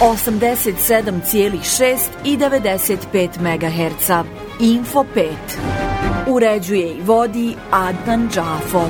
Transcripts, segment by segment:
87,6 i 95 MHz. Info 5. Uređuje i vodi Adnan Džafo.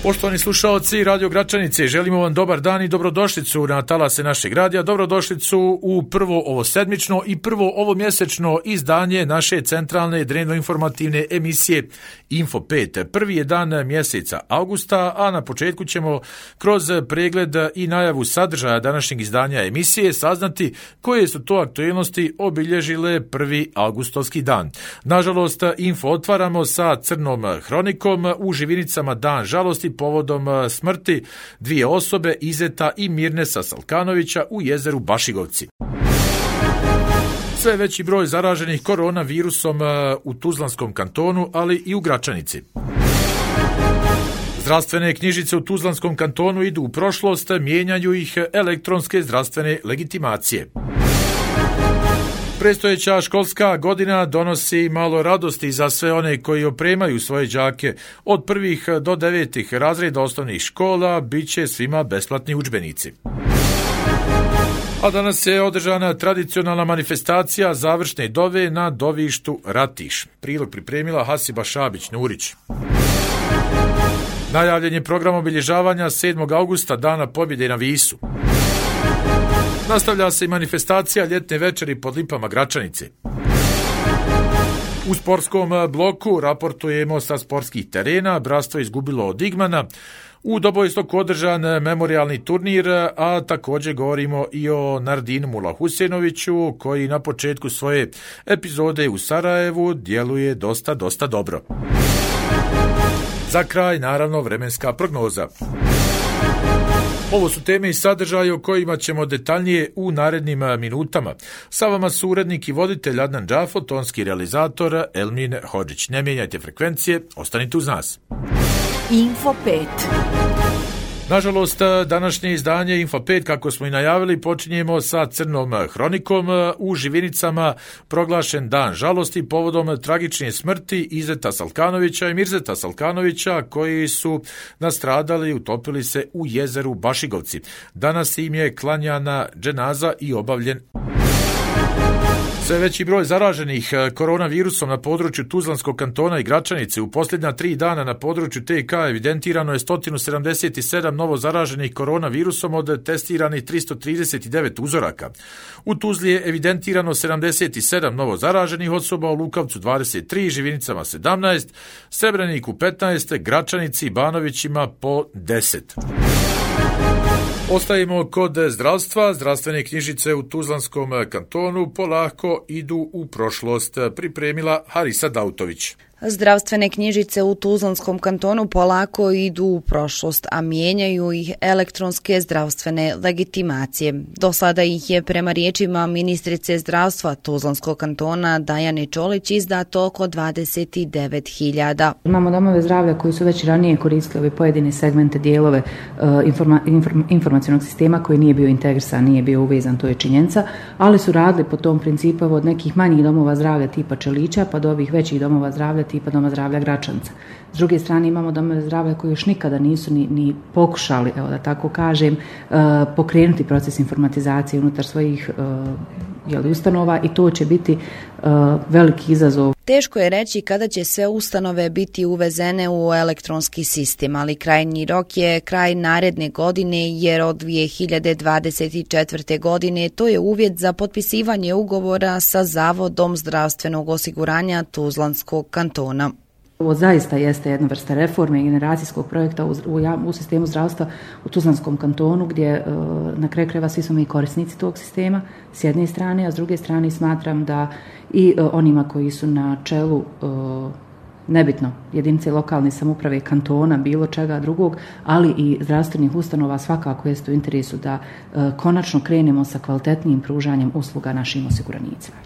Poštovani slušaoci Radio Gračanice, želimo vam dobar dan i dobrodošlicu na talase našeg radija, dobrodošlicu u prvo ovo sedmično i prvo ovo mjesečno izdanje naše centralne dnevno-informativne emisije Info 5. Prvi je dan mjeseca avgusta, a na početku ćemo kroz pregled i najavu sadržaja današnjeg izdanja emisije saznati koje su to aktualnosti obilježile prvi avgustovski dan. Nažalost, info otvaramo sa crnom hronikom, u Živinicama dan žalosti povodom smrti dvije osobe, Izeta i Mirnesa Salkanovića u jezeru Bašigovci. Sve veći broj zaraženih koronavirusom u Tuzlanskom kantonu, ali i u Gračanici. Zdravstvene knjižice u Tuzlanskom kantonu idu u prošlost, mijenjaju ih elektronske zdravstvene legitimacije. Predstojeća školska godina donosi malo radosti za sve one koji opremaju svoje đake. Od 1. do 9. razreda osnovnih škola bit će svima besplatni udžbenici. A danas je održana tradicionalna manifestacija završne dove na dovištu Ratiš. Prilog pripremila Hasiba Šabić-Nurić. Najavljen je program obilježavanja 7. augusta, Dana pobjede na Visu. Nastavlja se i manifestacija ljetne večeri pod lipama Gračanice. U sportskom bloku raportujemo sa sportskih terena. Bratstvo je izgubilo od Igmana. U Dobojistoku održan memorialni turnir, a također govorimo i o Nardinu Mulahusenoviću, koji na početku svoje epizode u Sarajevu djeluje dosta dobro. Za kraj, naravno, vremenska prognoza. Ovo su teme i sadržaje o kojima ćemo detaljnije u narednim minutama. Sa vama su urednik i voditelj Adnan Džafo, tonski realizator Elmin Hodžić. Ne mijenjajte frekvencije, ostanite uz nas. Info 5. Nažalost, današnje izdanje Info 5, kako smo i najavili, počinjemo sa crnom hronikom. U Živinicama proglašen dan žalosti povodom tragične smrti Izeta Salkanovića i Mirzeta Salkanovića, koji su nastradali i utopili se u jezeru Bašigovci. Danas im je klanjana dženaza i obavljen. Sve veći broj zaraženih koronavirusom na području Tuzlanskog kantona i Gračanice. U posljednja 3 dana na području TK evidentirano je 177 novo zaraženih koronavirusom od testiranih 339 uzoraka. U Tuzli je evidentirano 77 novo zaraženih osoba, u Lukavcu 23, Živinicama 17, Srebreniku 15, Gračanici i Banovićima po 10. Ostajemo kod zdravstva. Zdravstvene knjižice u Tuzlanskom kantonu polako idu u prošlost, pripremila Harisa Dautović. Zdravstvene knjižice u Tuzlanskom kantonu polako idu u prošlost, a mijenjaju ih elektronske zdravstvene legitimacije. Do sada ih je, prema riječima ministrice zdravstva Tuzlanskog kantona Dajane Čolić, izdato oko 29.000. Imamo domove zdravlja koji su već ranije koristili ove pojedine segmente, dijelove informacionog sistema koji nije bio integrisan, nije bio uvezan, to je činjenica, ali su radili po tom principu od nekih manjih domova zdravlja tipa Čelića pa do ovih većih domova zdravlja tipa Doma zdravlja Gračanca. S druge strane imamo domove zdravlja koji još nikada nisu ni pokušali, evo da tako kažem, pokrenuti proces informatizacije unutar svojih ustanova i to će biti veliki izazov. Teško je reći kada će sve ustanove biti uvezene u elektronski sistem, ali krajnji rok je kraj naredne godine, jer od 2024. godine to je uvjet za potpisivanje ugovora sa Zavodom zdravstvenog osiguranja Tuzlanskog kantona. Ovo zaista jeste jedna vrsta reforme i generacijskog projekta u sistemu zdravstva u Tuzlanskom kantonu, gdje na kraju krajeva svi smo mi korisnici tog sistema s jedne strane, a s druge strane smatram da i onima koji su na čelu nebitno jedinice lokalne samouprave, kantona, bilo čega drugog, ali i zdravstvenih ustanova svakako jeste u interesu da konačno krenemo sa kvalitetnijim pružanjem usluga našim osiguranicima.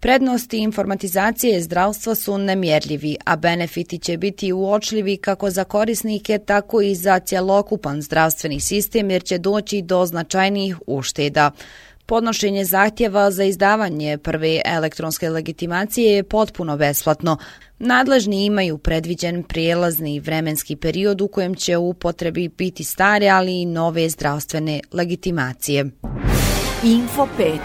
Prednosti informatizacije zdravstva su nemjerljivi, a benefiti će biti uočljivi kako za korisnike, tako i za cjelokupan zdravstveni sistem, jer će doći do značajnijih ušteda. Podnošenje zahtjeva za izdavanje prve elektronske legitimacije je potpuno besplatno. Nadležni imaju predviđen prijelazni vremenski period u kojem će u upotrebi biti stare, ali i nove zdravstvene legitimacije. Info 5.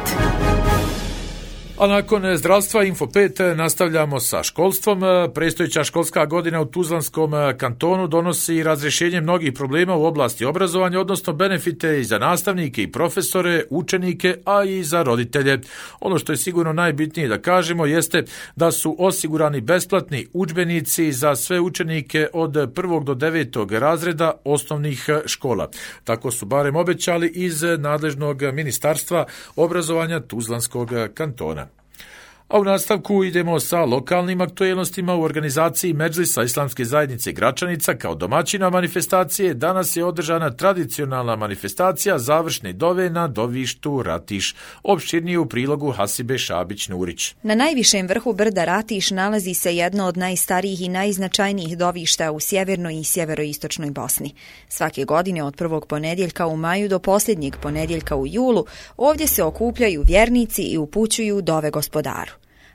A nakon zdravstva Info 5 nastavljamo sa školstvom. Predstojeća školska godina u Tuzlanskom kantonu donosi razrješenje mnogih problema u oblasti obrazovanja, odnosno benefite i za nastavnike i profesore, učenike, a i za roditelje. Ono što je sigurno najbitnije da kažemo jeste da su osigurani besplatni udžbenici za sve učenike od 1. do 9. razreda osnovnih škola. Tako su barem obećali iz nadležnog ministarstva obrazovanja Tuzlanskog kantona. A u nastavku idemo sa lokalnim aktualnostima. U organizaciji Medžlisa Islamske zajednice Gračanica kao domaćina manifestacije danas je održana tradicionalna manifestacija završne dove na dovištu Ratiš. Opširnije u prilogu Hasibe Šabić-Nurić. Na najvišem vrhu brda Ratiš nalazi se jedno od najstarijih i najznačajnijih dovišta u sjevernoj i sjeveroistočnoj Bosni. Svake godine od prvog ponedjeljka u maju do posljednjeg ponedjeljka u julu ovdje se okupljaju vjernici i upućuju dove gospodaru.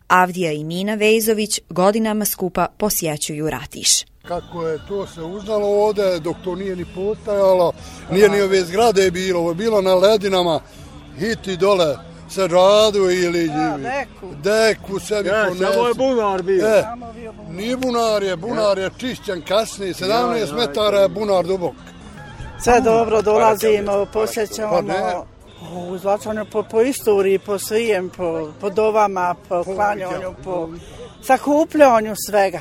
Avdija i Mina Vejzović godinama skupa posjećuju Ratiš. Kako je to se uznalo ovdje, dok to nije ni postajalo, nije ni ove zgrade bilo, ovo je bilo na ledinama, hiti dole se radu ili deku sebi ponesu. Samo je bunar bio. Nije bunar je čišćen kasnije, 17 metara je bunar dubok. Sve dobro, dolazimo, posjećamo u Zlačanju po istoriji, po svijem, po dovama, po klanjanju, po sakupljanju svega.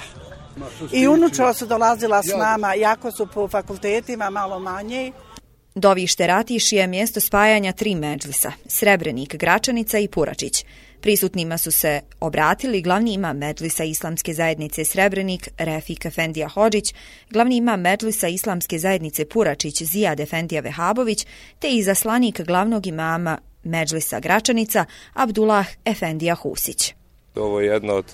I unučila su dolazila s nama, jako su po fakultetima malo manje. Dovište Ratiš je mjesto spajanja 3 medžlisa, Srebrenik, Gračanica i Puračić. Prisutnima su se obratili glavni imam Medžlisa Islamske zajednice Srebrenik, Refik Efendija Hodžić, glavni imam Medžlisa Islamske zajednice Puračić, Zijad Efendija Vehabović, te izaslanik glavnog imama Medžlisa Gračanica, Abdullah Efendija Husić. Ovo je jedno od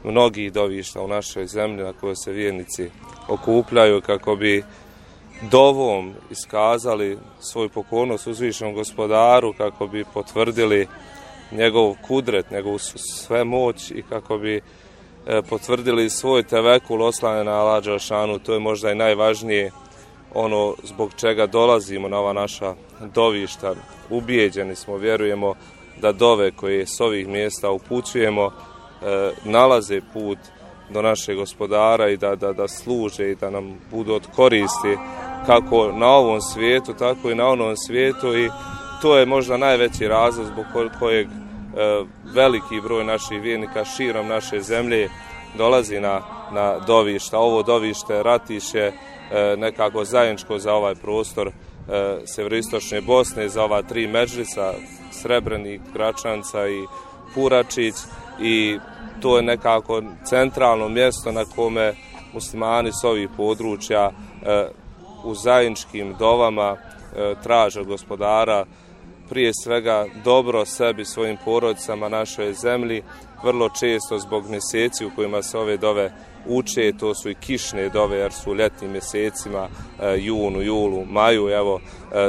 mnogih dovišta u našoj zemlji na koje se vjernici okupljaju kako bi dovom iskazali svoju pokornost uzvišenom gospodaru, kako bi potvrdili njegov kudret, njegovu svemoć i kako bi potvrdili svoj tevekul oslanje na Allah dželešanu. To je možda i najvažnije, ono zbog čega dolazimo na ova naša dovišta. Ubijeđeni smo, vjerujemo da dove koje s ovih mjesta upućujemo nalaze put do našeg gospodara i da služe i da nam budu od koristi kako na ovom svijetu, tako i na onom svijetu, i to je možda najveći razlog zbog kojeg veliki broj naših vjernika širom naše zemlje dolazi na dovišta. Ovo dovište Ratiš je nekako zajedničko za ovaj prostor sjeveroistočne Bosne, za ova 3 medžlisa, Srebrenik, Gračanca i Puračić, i to je nekako centralno mjesto na kome muslimani s ovih područja u zajedničkim dovama traže od gospodara prije svega dobro sebi, svojim porodicama, našoj zemlji. Vrlo često zbog mjeseci u kojima se ove dove uče, to su i kišne dove jer su u ljetnim mjesecima, junu, julu, maju, evo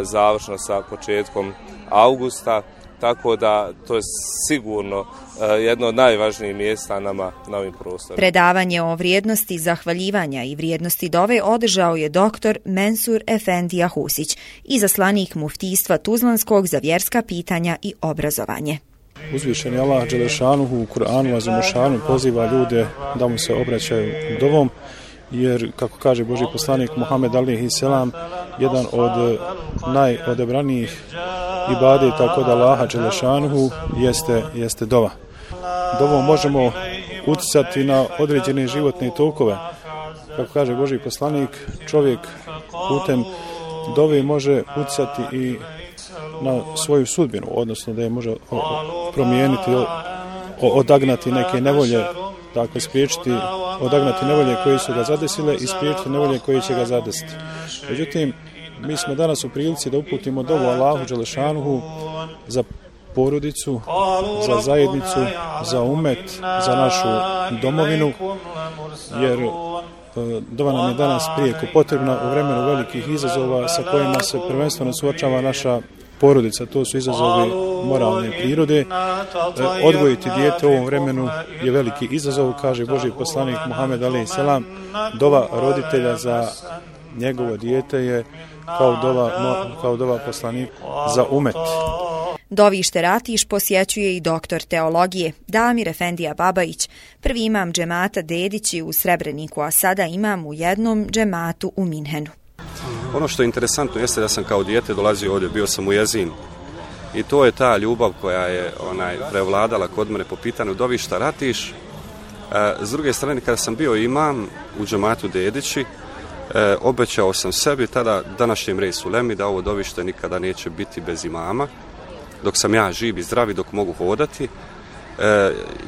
završno sa početkom augusta, tako da to je sigurno jedno od najvažnijih mjesta nama na ovim prostorima. Predavanje o vrijednosti zahvaljivanja i vrijednosti dove održao je doktor Mensur Efendija Husić, izaslanik muftijstva Tuzlanskog za vjerska pitanja i obrazovanje. Uzvišeni Allah dželešanuhu u Kur'anu azimešanu poziva ljude da mu se obraćaju dovom, jer, kako kaže Božji poslanik Muhammed alejhi selam, jedan od najodabranijih ibadeta kod Allaha dželešanuhu jeste dova. Dovom možemo uticati na određene životne tokove. Kako kaže Božji poslanik, čovjek putem dove može uticati i na svoju sudbinu, odnosno da je može promijeniti, odagnati neke nevolje, dakle spriječiti, odagnati nevolje koje su ga zadesile i spriječiti nevolje koje će ga zadesiti. Međutim, mi smo danas u prilici da uputimo dovu Allahu dželešanuhu za porodicu, za zajednicu, za umet, za našu domovinu, jer dova nam je danas prijeko potrebna u vremenu velikih izazova sa kojima se prvenstveno suočava naša porodica. To su izazovi moralne prirode. Odgojiti dijete u ovom vremenu je veliki izazov, kaže Božji poslanik Muhammed alejhi selam. Dova roditelja za njegovo dijete je kao dova poslanik za umet. Dovište Ratiš posjećuje i doktor teologije Damir Efendija Babajić, prvi imam džemata Dedići u Srebreniku, a sada imam u jednom džematu u Minhenu. Ono što je interesantno jeste da sam kao dijete dolazio ovdje, bio sam u Jezinu. I to je ta ljubav koja je prevladala kod mene po pitanju Dovišta Ratiš. S druge strane, kada sam bio imam u džematu Dedići, obećao sam sebi tada današnjem resu Lemi da ovo dovište nikada neće biti bez imama, dok sam ja živ i zdrav i dok mogu hodati.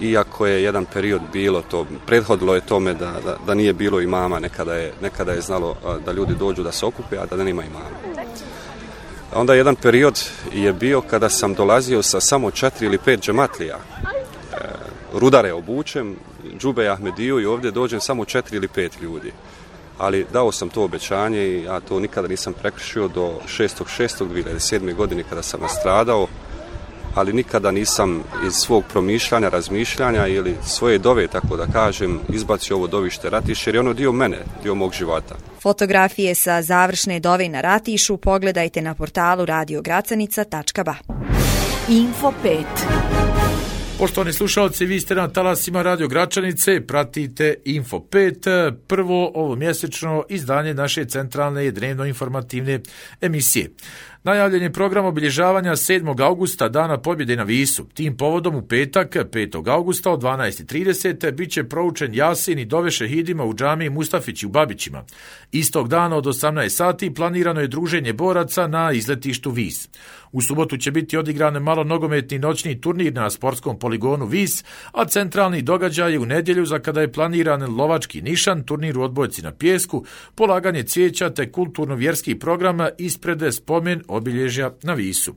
Iako je jedan period bilo to, prethodilo je tome da nije bilo imama, nekada je znalo da ljudi dođu da se okupe, a da nema imama. Onda jedan period je bio kada sam dolazio sa samo 4 ili 5 džematlija. Rudare obučem, džube Ahmediju i ovdje dođem samo 4 ili 5 ljudi. Ali dao sam to obećanje i ja to nikada nisam prekršio do 6.6.2007. godine kada sam nastradao, ali nikada nisam iz svog promišljanja, razmišljanja ili svoje dove, tako da kažem, izbacio ovo Dovište Ratiš, jer je ono dio mene, dio mog života. Fotografije sa završne dove na Ratišu pogledajte na portalu radiogracanica.ba. Info 5. Poštovani slušalci, vi ste na talasima Radio Gračanice, pratite Info 5, prvo ovo mjesečno izdanje naše centralne i dnevno informativne emisije. Najavljen je program obilježavanja 7. augusta, Dana pobjede na Visu. Tim povodom u petak, 5. augusta od 12.30 bit će proučen Jasin i dove šehidima u džamiji Mustafići u Babićima. Istog dana od 18 sati planirano je druženje boraca na izletištu Vis. U subotu će biti odigran malo nogometni noćni turnir na sportskom poligonu Vis, a centralni događaj je u nedjelju za kada je planiran lovački nišan, turnir u odbojci na pijesku, polaganje cvijeća te kulturno-vjerski program ispred spomen obilježja na Visu.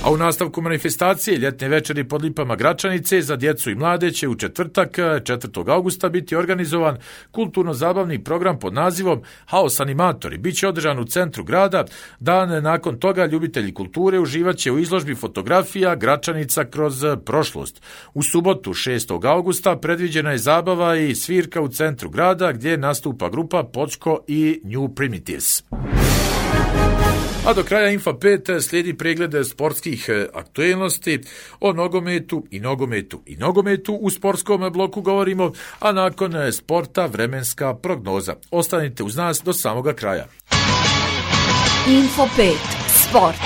A u nastavku manifestacije ljetne večeri pod lipama Gračanice za djecu i mlade će u četvrtak 4. augusta biti organizovan kulturno-zabavni program pod nazivom Haos animatori. Biće održan u centru grada. Dan nakon toga ljubitelji kulture uživat će u izložbi fotografija Gračanica kroz prošlost. U subotu 6. augusta predviđena je zabava i svirka u centru grada gdje nastupa grupa Počko i New Primitives. A do kraja Info 5 slijedi pregled sportskih aktuelnosti o nogometu. U sportskom bloku govorimo, a nakon sporta vremenska prognoza. Ostanite uz nas do samoga kraja. Info 5. Sport.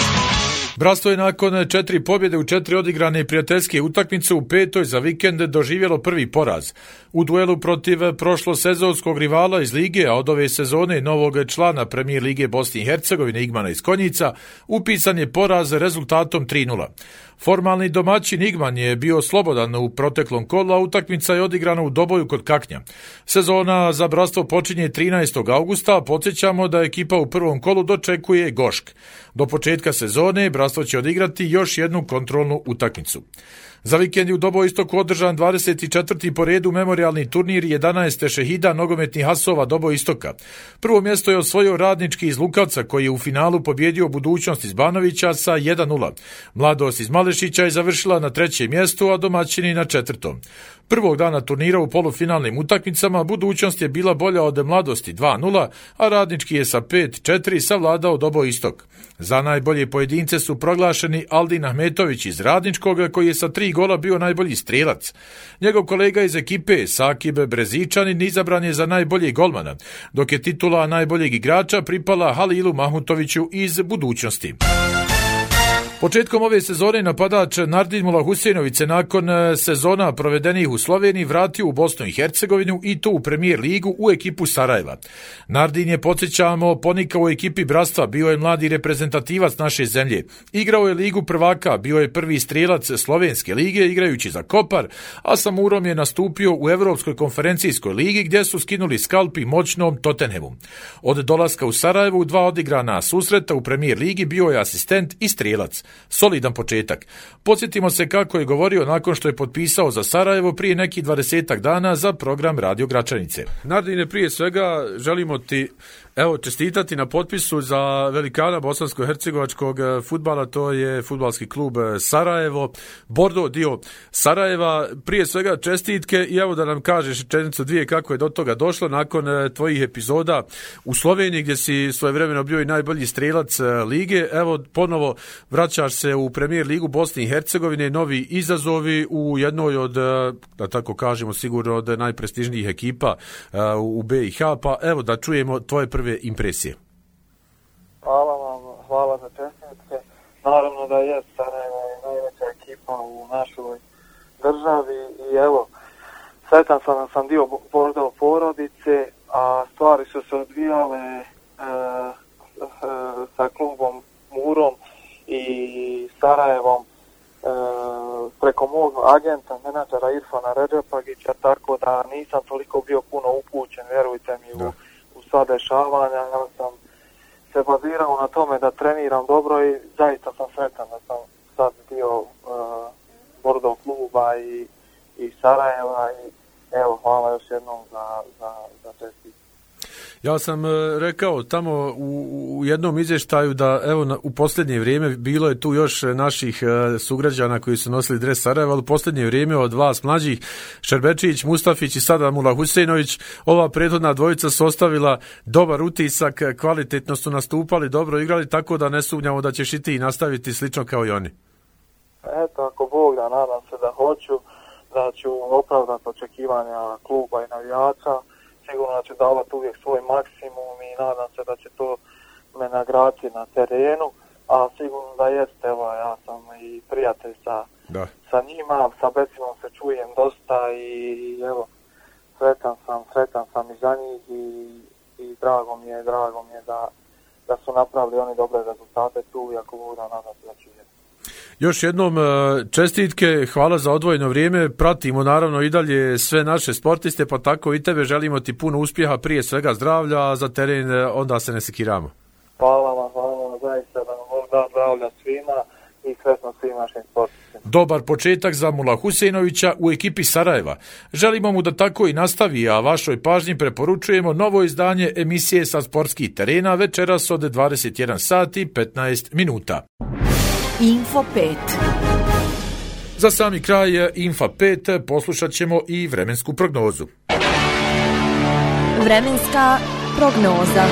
Bratstvo je nakon 4 pobjede u 4 odigrane prijateljske utakmice u 5. za vikend doživjelo prvi poraz. U duelu protiv prošlosezonskog rivala iz lige, a od ove sezone novog člana Premijer lige Bosne i Hercegovine Igmana iz Konjica, upisan je poraz rezultatom 3:0. Formalni domaćin Igman je bio slobodan u proteklom kolu, a utakmica je odigrana u Doboju kod Kaknja. Sezona za bratstvo počinje 13. augusta, a podsjećamo da ekipa u prvom kolu dočekuje Gošk. Do početka sezone bratstvo će odigrati još jednu kontrolnu utakmicu. Za vikend je u Doboistoku održan 24. po redu memorialni turnir 11 šehida nogometnih hasova Doboistoka. Prvo mjesto je osvojio Radnički iz Lukavca koji je u finalu pobjedio Budućnost iz Banovića sa 1:0. Mladost iz Malešića je završila na 3. mjestu, a domaćini na 4. Prvog dana turnira u polufinalnim utakmicama Budućnost je bila bolja od Mladosti 2:0, a Radnički je sa 5:4 savladao Doboistok. Za najbolje pojedince su proglašeni Aldin Ahmetović iz Radničkog koji je sa 3 gola bio najbolji strelac. Njegov kolega iz ekipe Sakib Brezičanin izabran je za najboljeg golmana, dok je titula najboljeg igrača pripala Halilu Mahmutoviću iz Budućnosti. Početkom ove sezone napadač Nardin Mulahuseinović se nakon sezona provedenih u Sloveniji vratio u Bosnu i Hercegovinu i to u Premijer ligu u ekipu Sarajeva. Nardin je, podsjećamo, ponikao u ekipi bratstva, bio je mladi reprezentativac naše zemlje. Igrao je ligu prvaka, bio je prvi strelac Slovenske lige igrajući za Kopar, a sa Murom je nastupio u Evropskoj konferencijskoj ligi gdje su skinuli skalpi moćnom Tottenhamu. Od dolaska u Sarajevo u 2 odigrana susreta u Premijer ligi bio je asistent i strelac. Solidan početak. Podsjetimo se kako je govorio nakon što je potpisao za Sarajevo prije nekih 20 dana za program Radio Gračanice. Nardine, prije svega želimo ti Evo, čestitati na potpisu za velikana bosansko-hercegovačkog fudbala, to je fudbalski klub Sarajevo, Bordo, dio Sarajeva. Prije svega čestitke i evo da nam kažeš rečenicu dvije kako je do toga došlo nakon tvojih epizoda u Sloveniji gdje si svojevremeno bio i najbolji strelac lige. Evo, ponovo vraćaš se u Premier ligu Bosne i Hercegovine, novi izazovi u jednoj od, da tako kažemo, sigurno od najprestižnijih ekipa u BiH, pa evo da čujemo tvoje prve impresije. Hvala vam, hvala za čestitke. Naravno da je Sarajevo najveća ekipa u našoj državi i evo, sretan sam dio Bordo porodice, a stvari su se odvijale sa klubom Murom i Sarajevom preko mog agenta, menadžera Irfana Redžepagića, tako da nisam toliko bio puno upućen, vjerujte mi, u sva dešavanja. Ja sam se bazirao na tome da treniram dobro i zaista sam sretan da sam sad dio Bordo kluba i Sarajeva i evo, hvala još jednom za čestitke. Ja sam rekao tamo u jednom izvještaju da evo u posljednje vrijeme bilo je tu još naših sugrađana koji su nosili dres Sarajeva, ali u posljednje vrijeme od vas mlađih, Šerbečić, Mustafić i sada Mula Huseinović, ova prethodna dvojica su ostavila dobar utisak, kvalitetno su nastupali, dobro igrali, tako da ne sumnjamo da ćeš i ti nastaviti slično kao i oni. Eto, ako Bog da, nadam se da hoću, da ću opravdati očekivanja kluba i navijača. Sigurno da ću davati uvijek svoj maksimum i nadam se da će to me nagraditi na terenu, a sigurno da jeste, evo, ja sam i prijatelj sa njima, sa Becimom se čujem dosta i evo, sretan sam i za njih i drago mi je da su napravili oni dobre rezultate tu i ako budu nadam se da ću je. Još jednom čestitke, hvala za odvojeno vrijeme, pratimo naravno i dalje sve naše sportiste, pa tako i tebe, želimo ti puno uspjeha, prije svega zdravlja, a za teren onda se ne sekiramo. Hvala vam, zaista da vam Bog da zdravlja svima i sretno svim našim sportistima. Dobar početak za Mula Huseinovića u ekipi Sarajeva. Želimo mu da tako i nastavi, a vašoj pažnji preporučujemo novo izdanje emisije sa sportskih terena večeras od 21 sati 15 minuta. Info 5. Za sami kraj Info 5 poslušat ćemo i vremensku prognozu. Vremenska prognoza.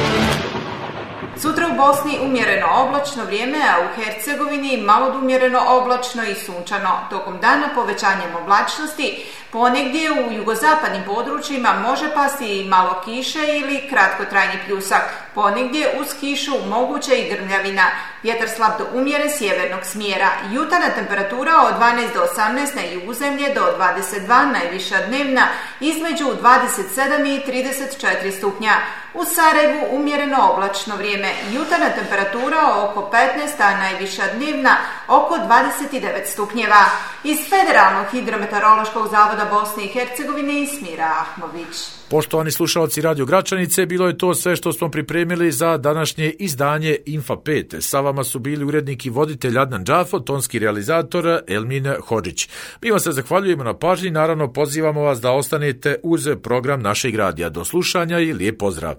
Sutra u Bosni umjereno oblačno vrijeme, a u Hercegovini malo umjereno oblačno i sunčano. Tokom dana povećanjem oblačnosti, ponegdje u jugozapadnim područjima može pasti i malo kiše ili kratkotrajni pljusak. Ponegdje uz kišu moguće i grmljavina. Vjetar slab do umjeren sjevernog smjera. Jutarnja temperatura od 12 do 18 na jugozemlje do 22, najviša dnevna između 27 i 34 stupnja. U Sarajevu umjereno oblačno vrijeme. Jutarnja temperatura oko 15, a najviša dnevna oko 29 stupnjeva. Iz Federalnog hidrometeorološkog zavoda Bosne i Hercegovine Ismira Ahmović. Poštovani slušalci Radio Gračanice, bilo je to sve što smo pripremili za današnje izdanje Info 5. Sa vama su bili urednik i voditelj Adnan Džafo, tonski realizator Elmin Hodžić. Mi vam se zahvaljujemo na pažnji, naravno pozivamo vas da ostanete uz program našeg radija. Do slušanja i lijep pozdrav.